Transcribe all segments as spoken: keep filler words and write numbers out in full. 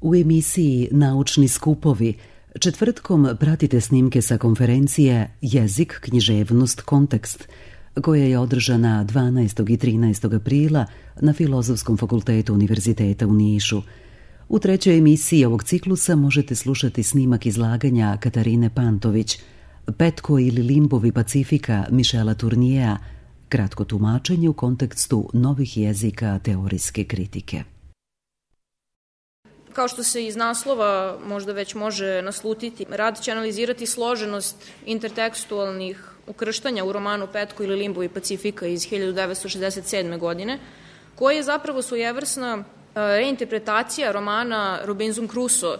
U emisiji Naučni skupovi četvrtkom pratite snimke sa konferencije Jezik, književnost, kontekst, koja je održana dvanaestog i trinaestog aprila na Filozofskom fakultetu Univerziteta u Nišu. U trećoj emisiji ovog ciklusa možete slušati snimak izlaganja Katarine Pantović, Petko ili limbovi Pacifika Mišela Turnijea, kratko tumačenje u kontekstu novih jezika teorijske kritike. Kao što se iz naslova možda već može naslutiti, rad će analizirati složenost intertekstualnih ukrštanja u romanu Petko ili limbovi Pacifika iz hiljadu devetsto šezdeset sedme. godine, koji je zapravo svojevrsna reinterpretacija romana Robinson Crusoe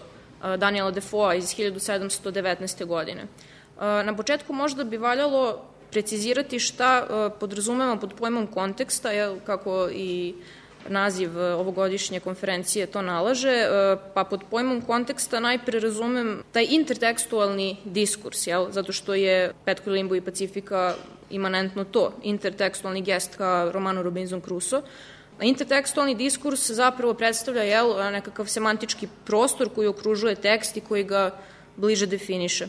Daniela Defoea iz hiljadu sedamsto devetnaeste. godine. Na početku možda bi valjalo precizirati šta podrazumevamo pod pojmom konteksta, kako i naziv ovogodišnje konferencije to nalaže, pa pod pojmom konteksta najpre razumem taj intertekstualni diskurs, jel? Zato što je Petko ili limbovi Pacifika imanentno to, intertekstualni gest ka romanu Robinson Crusoe. Intertekstualni diskurs zapravo predstavlja jel, nekakav semantički prostor koji okružuje tekst i koji ga bliže definiše.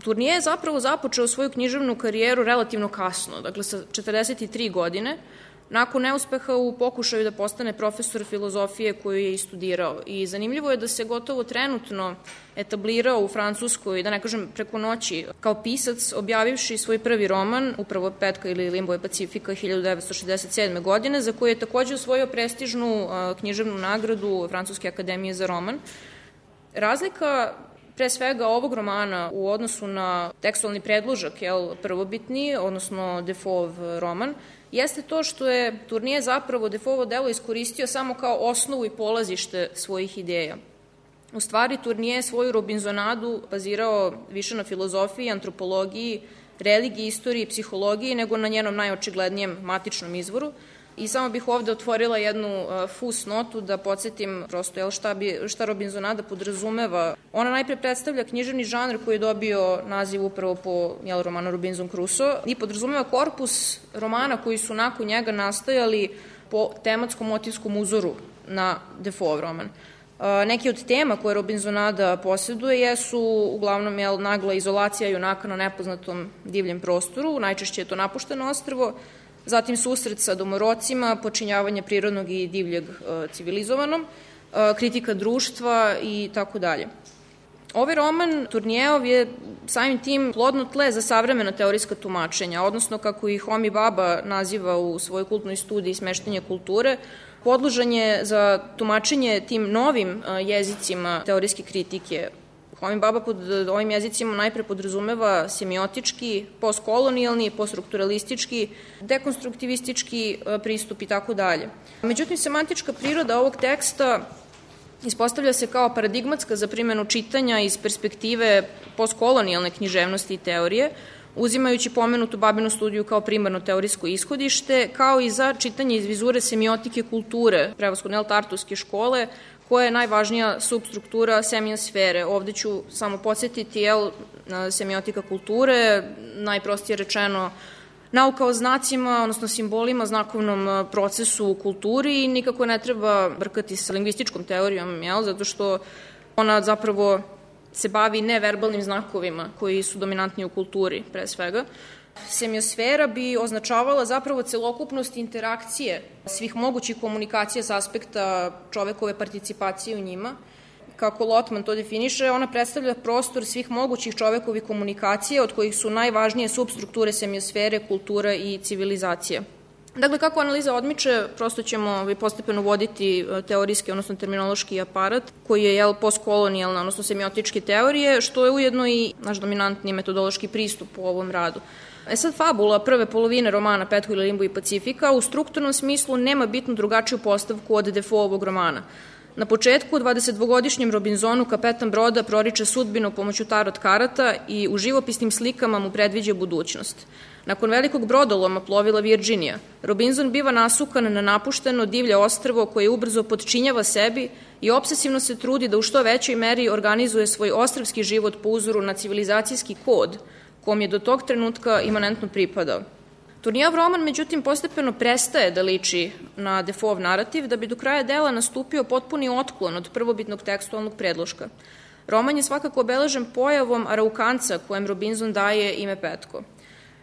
Turnije je zapravo započeo svoju književnu karijeru relativno kasno, dakle sa četrdeset tri godine, nakon neuspeha u pokušaju da postane profesor filozofije koju je i studirao. I zanimljivo je da se gotovo trenutno etablirao u Francuskoj, da ne kažem preko noći, kao pisac, objavivši svoj prvi roman, upravo Petka ili limbove Pacifika hiljadu devetsto šezdeset sedme. godine, za koju je takođe osvojio prestižnu književnu nagradu Francuske akademije za roman. Razlika pre svega ovog romana u odnosu na tekstualni predložak, jel, prvobitni, odnosno Defoeov roman, jeste to što je Turnije zapravo Defoeovo delo iskoristio samo kao osnovu i polazište svojih ideja. U stvari, Turnije je svoju Robinsonadu bazirao više na filozofiji, antropologiji, religiji, istoriji, psihologiji, nego na njenom najočiglednijem matičnom izvoru. I samo bih ovde otvorila jednu uh, fus notu da podsjetim prosto jel, šta, bi, šta Robinsonada podrazumeva. Ona najpre predstavlja književni žanr koji je dobio naziv upravo po jel, romanu Robinson Crusoe i podrazumeva korpus romana koji su nakon njega nastajali po tematskom motivskom uzoru na Defoeov roman. Uh, neki od tema koje Robinsonada posjeduje jesu uglavnom jel, nagla izolacija junaka na nepoznatom divljem prostoru, najčešće je to napušteno ostrvo, zatim susret sa domorocima, počinjavanje prirodnog i divljeg e, civilizovanom, e, kritika društva i tako dalje. Ovaj roman Turnijeov je samim tim plodno tle za savremena teorijska tumačenja, odnosno kako ih Homi Baba naziva u svojoj kultnoj studiji Smeštanje kulture, podložan je za tumačenje tim novim e, jezicima teorijske kritike. Homi Baba pod ovim jezicima najpre podrazumeva semiotički, postkolonijalni, poststrukturalistički, dekonstruktivistički pristup i tako dalje. Međutim, semantička priroda ovog teksta ispostavlja se kao paradigmatska za primjenu čitanja iz perspektive postkolonijalne književnosti i teorije, uzimajući pomenutu Babinu studiju kao primarno teorijsko ishodište, kao i za čitanje iz vizure semiotike kulture, prevashodno Tartuske škole, koja je najvažnija substruktura semiosfere. Ovde ću samo podsjetiti, jel, semiotika kulture, najprostije rečeno, nauka o znacima, odnosno simbolima, znakovnom procesu u kulturi i nikako ne treba brkati sa lingvističkom teorijom, jel, zato što ona zapravo se bavi neverbalnim znakovima koji su dominantni u kulturi, pre svega. Semiosfera bi označavala zapravo celokupnost interakcije svih mogućih komunikacija s aspekta čovekove participacije u njima. Kako Lotman to definiše, ona predstavlja prostor svih mogućih čovekovih komunikacija, od kojih su najvažnije substrukture semiosfere, kultura i civilizacija. Dakle, kako analiza odmiče, prosto ćemo postepeno voditi teorijski, odnosno terminološki aparat, koji je jel, postkolonijalna, odnosno semiotičke teorije, što je ujedno i naš dominantni metodološki pristup u ovom radu. E sad, fabula prve polovine romana Petko ili limbovi Pacifika u strukturnom smislu nema bitno drugačiju postavku od Defoeovog romana. Na početku, dvadesetdvogodišnjem Robinsonu kapetan broda proriče sudbinu pomoću tarot karata i u živopisnim slikama mu predviđa budućnost. Nakon velikog brodoloma plovila Virginija, Robinson biva nasukan na napušteno divlje ostrvo koje ubrzo podčinjava sebi i obsesivno se trudi da u što većoj meri organizuje svoj ostrvski život po uzoru na civilizacijski kod kom je do tog trenutka imanentno pripadao. Turnijev roman, međutim, postepeno prestaje da liči na Defoeov narativ, da bi do kraja dela nastupio potpuni otklon od prvobitnog tekstualnog predloška. Roman je svakako obeležen pojavom Araukanca kojem Robinson daje ime Petko.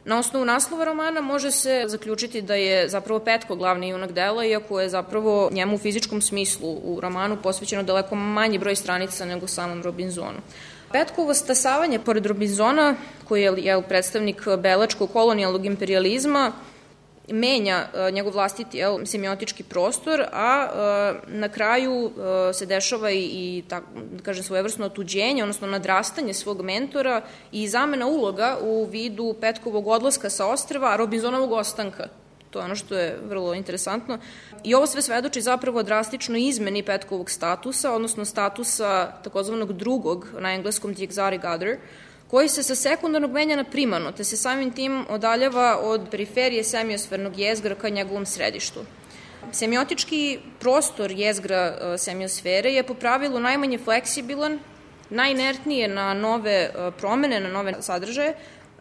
Na osnovu naslova romana može se zaključiti da je zapravo Petko glavni junak dela, iako je zapravo njemu u fizičkom smislu u romanu posvećeno daleko manji broj stranica nego samom Robinsonu. Petkovo stasavanje pored Robinsona, koji je predstavnik belačkog kolonijalnog imperializma, menja njegov vlastiti jel, semiotički prostor, a e, na kraju e, se dešava i, i tak, da kažem, svojevrsno otuđenje, odnosno nadrastanje svog mentora i zamena uloga u vidu Petkovog odlaska sa ostrva, a Robinsonovog ostanka. To je ono što je vrlo interesantno. I ovo sve svedoči zapravo drastično izmeni Petkovog statusa, odnosno statusa takozvanog drugog, na engleskom the exotic other, koji se sa sekundarnog menja na primarno, te se samim tim odaljava od periferije semiosfernog jezgra ka njegovom središtu. Semiotički prostor jezgra semiosfere je po pravilu najmanje fleksibilan, najinertnije na nove promene, na nove sadržaje,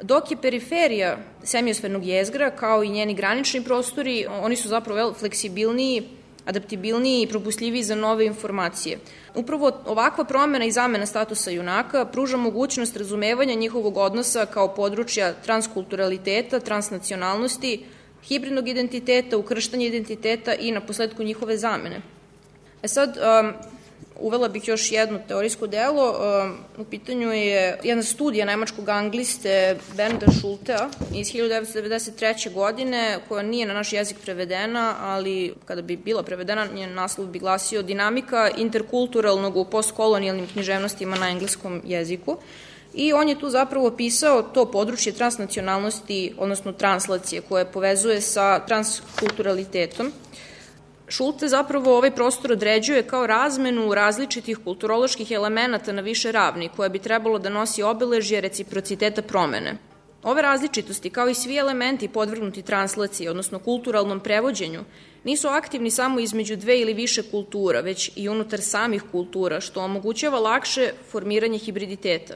dok je periferija semiosfernog jezgra, kao i njeni granični prostori, oni su zapravo fleksibilniji, adaptibilniji i propustljiviji za nove informacije. Upravo ovakva promena i zamena statusa junaka pruža mogućnost razumevanja njihovog odnosa kao područja transkulturaliteta, transnacionalnosti, hibridnog identiteta, ukrštanja identiteta i na posledku njihove zamene. E sad, um, uvela bih još jedno teorijsko delo. U pitanju je jedna studija nemačkog angliste Bernda Schultea iz hiljadu devetsto devedeset treće. godine, koja nije na naš jezik prevedena, ali kada bi bila prevedena, njen naslov bi glasio Dinamika interkulturalnog u postkolonijalnim književnostima na engleskom jeziku. I on je tu zapravo opisao to područje transnacionalnosti, odnosno translacije, koje povezuje sa transkulturalitetom. Schulte zapravo ovaj prostor određuje kao razmenu različitih kulturoloških elemenata na više ravni, koja bi trebalo da nosi obeležje reciprociteta promene. Ove različitosti, kao i svi elementi podvrgnuti translaciji, odnosno kulturalnom prevođenju, nisu aktivni samo između dve ili više kultura, već i unutar samih kultura, što omogućava lakše formiranje hibriditeta.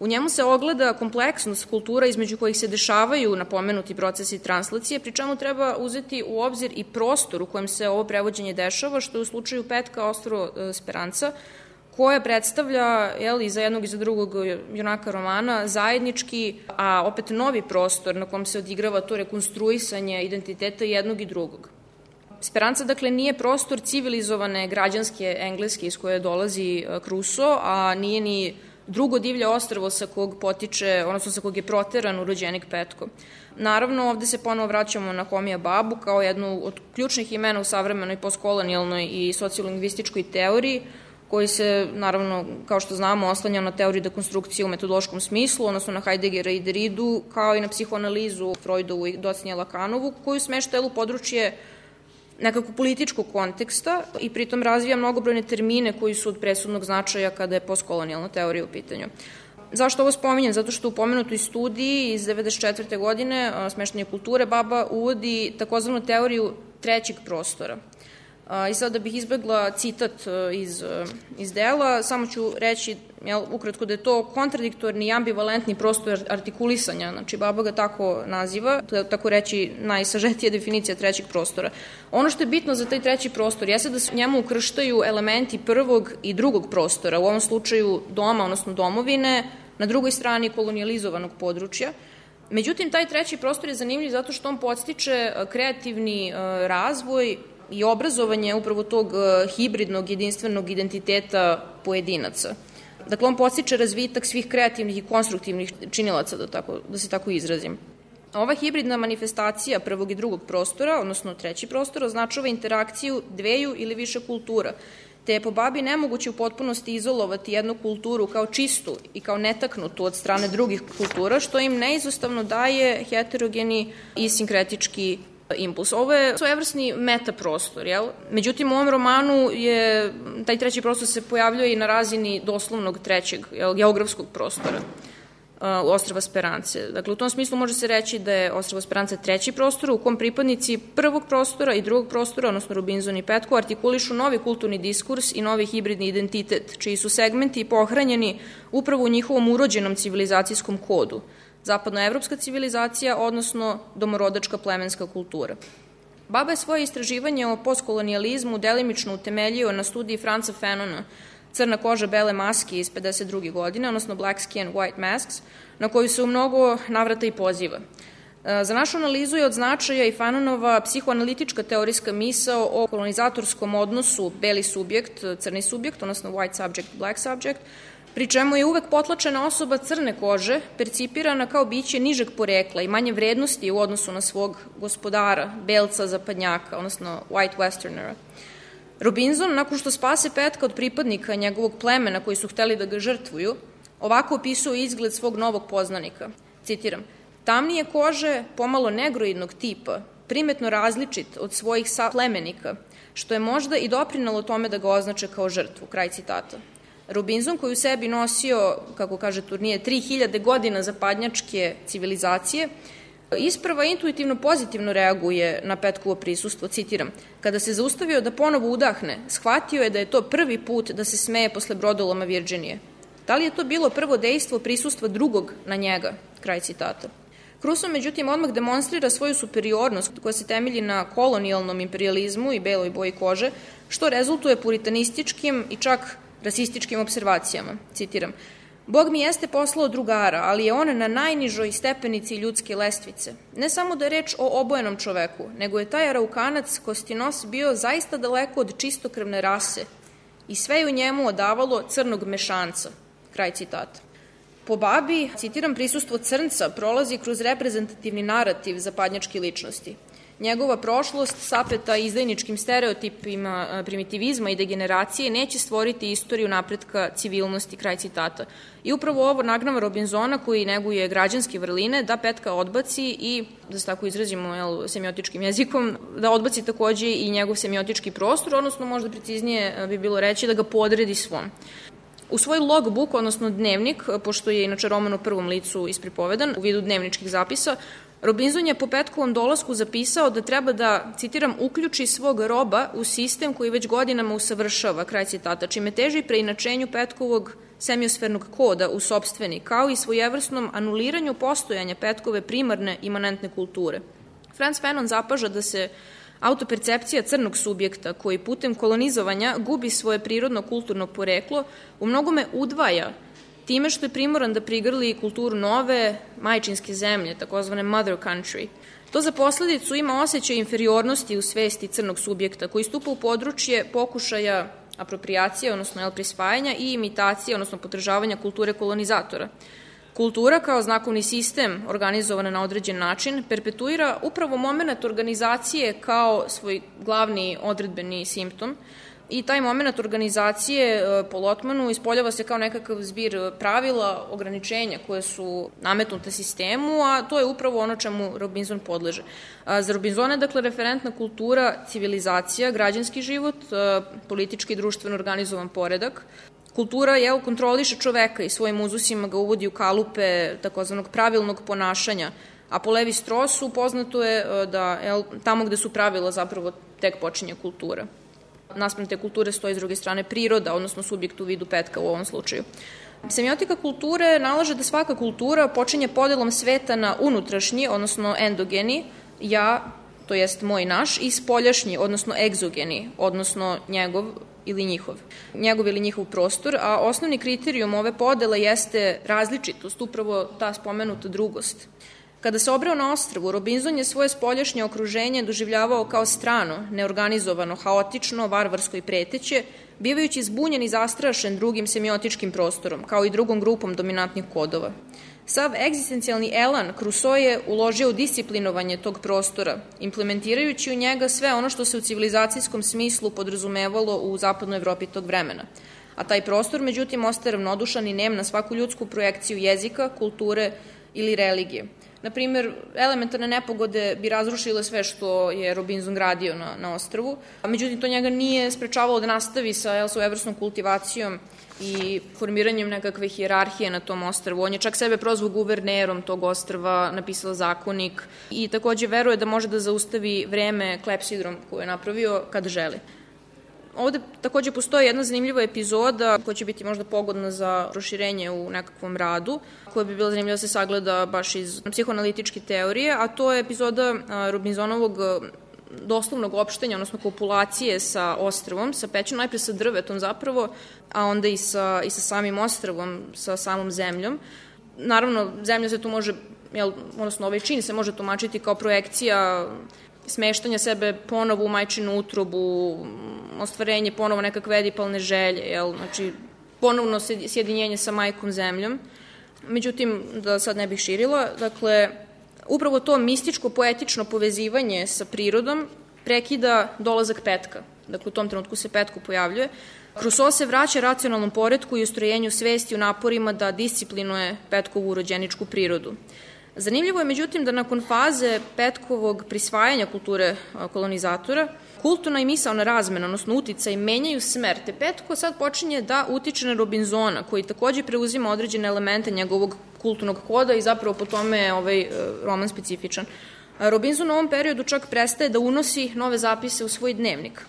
U njemu se ogleda kompleksnost kultura između kojih se dešavaju napomenuti procesi translacije, pri čemu treba uzeti u obzir i prostor u kojem se ovo prevođenje dešava, što je u slučaju Petka ostrvo Speranca, koje predstavlja jel, i za jednog i za drugog junaka romana zajednički, a opet novi prostor na kom se odigrava to rekonstruisanje identiteta jednog i drugog. Speranca, dakle, nije prostor civilizovane građanske Engleske iz koje dolazi Crusoe, a nije ni drugo divlje ostrvo sa kog potiče, odnosno sa kog je proteran urođenik Petko. Naravno, ovde se ponovo vraćamo na Homija Babu kao jednu od ključnih imena u savremenoj postkolonijalnoj i sociolingvističkoj teoriji, koji se, naravno, kao što znamo, oslanja na teoriju dekonstrukcije u metodološkom smislu, odnosno na Heideggera i Derridu, kao i na psihoanalizu Freudovu i docnije Lakanovu, koju smešta u područje nekako političkog konteksta i pritom razvija mnogobrojne termine koji su od presudnog značaja kada je postkolonijalna teorija u pitanju. Zašto ovo spominjem? Zato što u pomenutoj studiji iz devedeset četvrte. godine Smeštanje kulture Baba uvodi takozvanu teoriju trećeg prostora. I sad da bih izbegla citat iz, iz dela, samo ću reći jel, ukratko da je to kontradiktorni i ambivalentni prostor artikulisanja, znači Baba ga tako naziva, to je tako reći najsažetija definicija trećeg prostora. Ono što je bitno za taj treći prostor jeste da se njemu ukrštaju elementi prvog i drugog prostora, u ovom slučaju doma, odnosno domovine, na drugoj strani kolonijalizovanog područja. Međutim, taj treći prostor je zanimljiv zato što on podstiče kreativni razvoj i obrazovanje upravo tog hibridnog jedinstvenog identiteta pojedinaca. Dakle, on podstiče razvitak svih kreativnih i konstruktivnih činilaca, da, tako, da se tako izrazim. Ova hibridna manifestacija prvog i drugog prostora, odnosno treći prostor, označava interakciju dveju ili više kultura, te je po Babi nemoguće u potpunosti izolovati jednu kulturu kao čistu i kao netaknutu od strane drugih kultura, što im neizostavno daje heterogeni i sinkretički impuls. Ovo je svojevrsni metaprostor, jel? Međutim, u ovom romanu je, taj treći prostor se pojavljuje i na razini doslovnog trećeg, jel, geografskog prostora uh, ostrva Sperance. Dakle, u tom smislu može se reći da je ostrvo Speranca treći prostor u kom pripadnici prvog prostora i drugog prostora, odnosno Robinson i Petko, artikulišu novi kulturni diskurs i novi hibridni identitet, čiji su segmenti pohranjeni upravo u njihovom urođenom civilizacijskom kodu. zapadnoevropska civilizacija, odnosno domorodačka plemenska kultura. Baba je svoje istraživanje o postkolonijalizmu delimično utemeljio na studiji Franca Fanona Crna koža, bele maske iz pedeset druge godine, odnosno Black Skin, White Masks, na koju se u mnogo navrata i poziva. Za našu analizu je od značaja i Fanonova psihoanalitička teorijska misao o kolonizatorskom odnosu beli subjekt, crni subjekt, odnosno white subject, black subject, pri čemu je uvek potlačena osoba crne kože percipirana kao biće nižeg porekla i manje vrednosti u odnosu na svog gospodara, belca zapadnjaka, odnosno white westernera. Robinson, nakon što spase Petka od pripadnika njegovog plemena koji su hteli da ga žrtvuju, ovako opisuje izgled svog novog poznanika. Citiram: tamnije kože, pomalo negroidnog tipa, primetno različit od svojih saplemenika, što je možda i doprinalo tome da ga označe kao žrtvu. Kraj citata. Robinson, koji u sebi nosio, kako kaže Turnije, tri hiljade godina zapadnjačke civilizacije, isprva intuitivno pozitivno reaguje na Petkovo prisustvo, citiram: kada se zaustavio da ponovo udahne, shvatio je da je to prvi put da se smeje posle brodoloma Virđinije. Da li je to bilo prvo dejstvo prisustva drugog na njega? Kraj citata. Crusoe, međutim, odmah demonstrira svoju superiornost koja se temelji na kolonijalnom imperializmu i beloj boji kože, što rezultuje puritanističkim i čak rasističkim observacijama. Citiram: Bog mi jeste poslao drugara, ali je on na najnižoj stepenici ljudske lestvice. Ne samo da je reč o obojenom čoveku, nego je taj Araukanac Kostinos bio zaista daleko od čistokrvne rase i sve je u njemu odavalo crnog mešanca. Kraj citata. Po babi, citiram, prisustvo crnca prolazi kroz reprezentativni narativ zapadnjačke ličnosti. Njegova prošlost, sapeta izdajničkim stereotipima primitivizma i degeneracije, neće stvoriti istoriju napretka civilnosti, kraj citata. I upravo ovo nagnava Robinsona, koji neguje građanske vrline, da Petka odbaci i, da se tako izrazimo jel, semiotičkim jezikom, da odbaci takođe i njegov semiotički prostor, odnosno možda preciznije bi bilo reći da ga podredi svom. U svoj logbook, odnosno dnevnik, pošto je inače roman u prvom licu ispripovedan u vidu dnevničkih zapisa, Robinson je po Petkovom dolasku zapisao da treba da, citiram, uključi svog roba u sistem koji već godinama usavršava, kraj citata, čime teži preinačenju Petkovog semiosfernog koda u sopstveni, kao i svojevrsnom anuliranju postojanja Petkove primarne imanentne kulture. Franz Fanon zapaža da se autopercepcija crnog subjekta, koji putem kolonizovanja gubi svoje prirodno kulturno poreklo, u mnogome udvaja time što je primoran da prigrli kulturu nove majčinske zemlje, takozvane mother country. To za posledicu ima osjećaj inferiornosti u svesti crnog subjekta, koji stupa u područje pokušaja apropriacije, odnosno jel, prisvajanja i imitacije, odnosno podržavanja kulture kolonizatora. Kultura kao znakovni sistem organizovana na određen način perpetuira upravo moment organizacije kao svoj glavni odredbeni simptom i taj moment organizacije po Lotmanu ispoljava se kao nekakav zbir pravila, ograničenja koje su nametnute sistemu, a to je upravo ono čemu Robinson podleže. Za Robinsona je dakle referentna kultura civilizacija, građanski život, politički i društveno organizovan poredak. Kultura jel, kontroliše čoveka i svojim uzusima ga uvodi u kalupe takozvanog pravilnog ponašanja, a po Levi Strossu poznato je da jel, tamo gde su pravila zapravo tek počinje kultura. Naspram te kulture stoji s druge strane priroda, odnosno subjekt u vidu Petka u ovom slučaju. Semiotika kulture nalaže da svaka kultura počinje podelom sveta na unutrašnji, odnosno endogeni, ja, to jest moj naš, i spoljašnji, odnosno egzogeni, odnosno njegov ili njihov, njegov ili njihov prostor, a osnovni kriterijum ove podele jeste različitost, upravo ta spomenuta drugost. Kada se obreo na ostrvu, Robinson je svoje spoljašnje okruženje doživljavao kao strano, neorganizovano, haotično, varvarsko i preteće, bivajući zbunjen i zastrašen drugim semiotičkim prostorom, kao i drugom grupom dominantnih kodova. Sav egzistencijalni elan Crusoe je uložio u disciplinovanje tog prostora, implementirajući u njega sve ono što se u civilizacijskom smislu podrazumevalo u zapadnoj Evropi tog vremena. A taj prostor, međutim, ostaje ravnodušan i nem na svaku ljudsku projekciju jezika, kulture ili religije. Na primjer, elementarne nepogode bi razrušile sve što je Robinson gradio na, na ostrvu, a međutim to njega nije sprečavalo da nastavi sa jel, svojevrsnom kultivacijom i formiranjem nekakve hijerarhije na tom ostrvu. On je čak sebe prozvao guvernerom tog ostrva, napisao zakonik i takođe veruje da može da zaustavi vreme klepsidrom koje je napravio kad želi. Ovde takođe postoji jedna zanimljiva epizoda koja će biti možda pogodna za proširenje u nekakvom radu, koja bi bila zanimljiva da se sagleda baš iz psihoanalitičke teorije, a to je epizoda Robinsonovog doslovnog opštenja, odnosno kopulacije sa ostrvom, sa pećinom, najpre sa drvetom zapravo, a onda i sa, i sa samim ostrvom, sa samom zemljom. Naravno, zemlja se tu može, jel, odnosno ovaj čin se može tumačiti kao projekcija smeštanja sebe ponovo u majčinu utrobu, ostvarenje ponovo nekakve edipalne želje, jel, znači ponovno sjedinjenje sa majkom zemljom. Međutim, da sad ne bih širila, dakle, upravo to mističko-poetično povezivanje sa prirodom prekida dolazak petka. Dakle, u tom trenutku se petko pojavljuje. Crusoe se vraća racionalnom poretku i ustrojenju svesti u naporima da disciplinuje petkovu rođeničku prirodu. Zanimljivo je, međutim, da nakon faze petkovog prisvajanja kulture kolonizatora, kulturna i misaona razmena, odnosno uticaj, menjaju smer, te petko sad počinje da utiče na Robinsona, koji takođe preuzima određene elemente njegovog kulturnog koda i zapravo po tome je ovaj roman specifičan. Robinson u ovom periodu čak prestaje da unosi nove zapise u svoj dnevnik.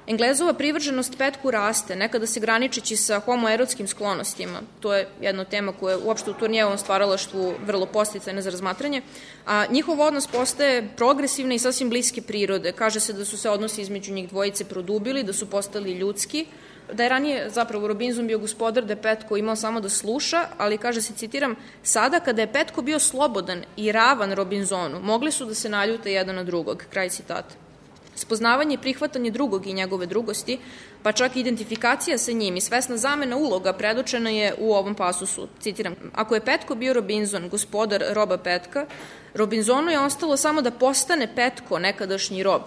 Englezova privrženost petku raste, nekada se graničeći sa homoerotskim sklonostima, to je jedna tema koja je uopšte u Turnijevom stvaralaštvu vrlo posticajna za razmatranje, a njihov odnos postaje progresivne i sasvim bliske prirode. Kaže se da su se odnosi između njih dvojice produbili, da su postali ljudski, da je ranije zapravo Robinson bio gospodar, da je petko imao samo da sluša, ali kaže se, citiram, sada kada je petko bio slobodan i ravan Robinsonu, mogli su da se naljute jedan na drugog, kraj citata. Spoznavanje i prihvatanje drugog i njegove drugosti, pa čak i identifikacija sa njim i svesna zamena uloga predočena je u ovom pasusu. Citiram, ako je petko bio Robinson, gospodar roba petka, Robinsonu je ostalo samo da postane petko, nekadašnji rob.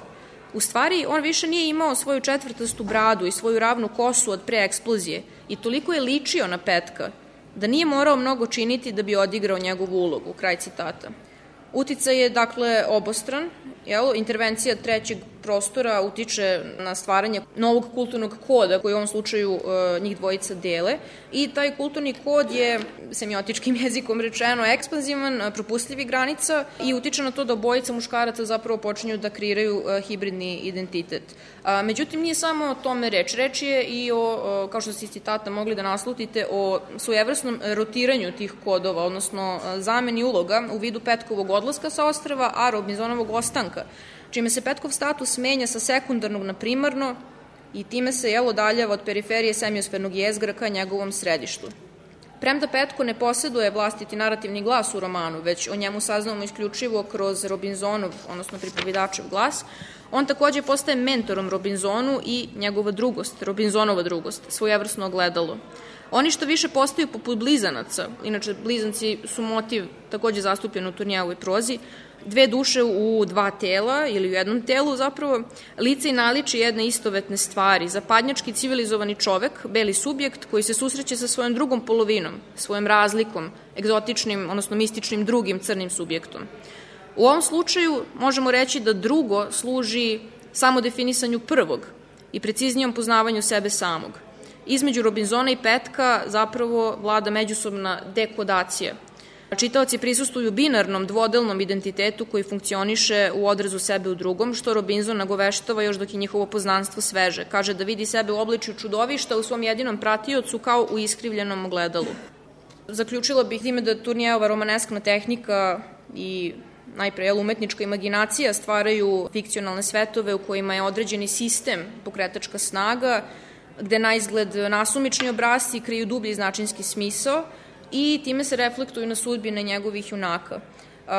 U stvari, on više nije imao svoju četvrtastu bradu i svoju ravnu kosu od pre eksplozije i toliko je ličio na petka da nije morao mnogo činiti da bi odigrao njegovu ulogu, kraj citata. Uticaj je, dakle, obostran, jel? Intervencija trećeg prostora utiče na stvaranje novog kulturnog koda koji u ovom slučaju e, njih dvojica dele i taj kulturni kod je, semiotičkim jezikom rečeno, ekspanzivan, propustljivi granica i utiče na to da obojica muškaraca zapravo počinju da kreiraju e, hibridni identitet. A, međutim, nije samo o tome reč. Reč je i o, o kao što ste iz citata mogli da naslutite, o svojevrsnom rotiranju tih kodova, odnosno zameni uloga u vidu petkovog odlaska sa ostrva, a Robinsonovog ostanka, čime se petkov status menja sa sekundarnog na primarno i time se jel odaljava od periferije semiosfernog jezgra ka njegovom središtu. Premda petko ne posjeduje vlastiti narativni glas u romanu, već o njemu saznamo isključivo kroz Robinsonov, odnosno pripovedačev glas, on takođe postaje mentorom Robinsonu i njegova drugost, Robinsonova drugost, svojevrsno ogledalo. Oni što više postaju poput blizanaca, inače blizanci su motiv takođe zastupljen u Turnijevoj prozi, dve duše u dva tela ili u jednom telu zapravo, lice i naličje jedne istovetne stvari, zapadnjački civilizovani čovek, beli subjekt koji se susreće sa svojom drugom polovinom, svojom razlikom, egzotičnim, odnosno mističnim drugim crnim subjektom. U ovom slučaju možemo reći da drugo služi samo definisanju prvog i preciznijom poznavanju sebe samog. Između Robinsona i petka zapravo vlada međusobna dekodacija. Čitaoci prisustuju binarnom dvodelnom identitetu koji funkcioniše u odrazu sebe u drugom, što Robinson nagoveštava još dok je njihovo poznanstvo sveže. Kaže da vidi sebe u obličju čudovišta u svom jedinom pratiocu kao u iskrivljenom ogledalu. Zaključila bih time da Turnijeva romaneskna tehnika i najpre umetnička imaginacija stvaraju fikcionalne svetove u kojima je određeni sistem, pokretačka snaga, gde na izgled nasumični obrazci kriju dublji značinski smisao i time se reflektuju na sudbine njegovih junaka.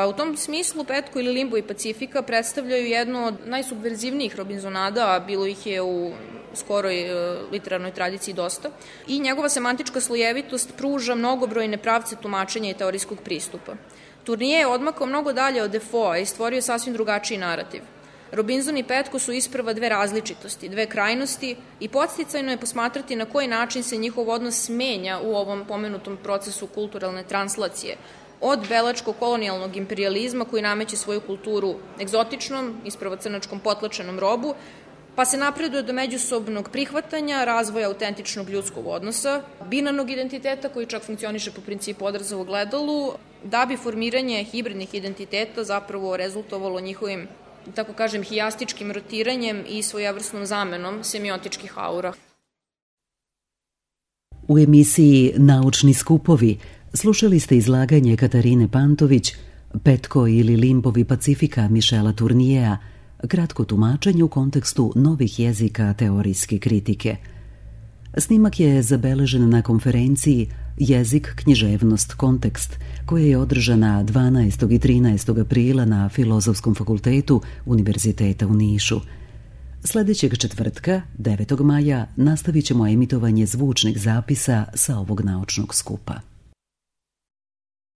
U tom smislu Petko ili Limbo i Pacifika predstavljaju jednu od najsubverzivnijih Robinsonada, a bilo ih je u skoroj literarnoj tradiciji dosta, i njegova semantička slojevitost pruža mnogobrojne pravce tumačenja i teorijskog pristupa. Turnije je odmakao mnogo dalje od Defoea i stvorio sasvim drugačiji narativ. Robinson i Petko su isprva dve različitosti, dve krajnosti i podsticajno je posmatrati na koji način se njihov odnos menja u ovom pomenutom procesu kulturalne translacije, od belačko-kolonijalnog imperijalizma koji nameće svoju kulturu egzotičnom, isprva crnačkom potlačenom robu, pa se napreduje do međusobnog prihvatanja, razvoja autentičnog ljudskog odnosa, binarnog identiteta koji čak funkcioniše po principu odraza u ogledalu, da bi formiranje hibridnih identiteta zapravo rezultovalo njihovim tako kažem, hijastičkim rotiranjem i svojevrsnom zamenom semiotičkih aura. U emisiji Naučni skupovi slušali ste izlaganje Katarine Pantović, Petko ili limbovi Pacifika Mišela Turnijeja, kratko tumačenje u kontekstu novih jezika teorijske kritike. Snimak je zabeležen na konferenciji Jezik, književnost, kontekst, koja je održana dvanaestog i trinaestog aprila na Filozofskom fakultetu Univerziteta u Nišu. Sljedećeg četvrtka, devetog maja, nastavit ćemo emitovanje zvučnih zapisa sa ovog naučnog skupa.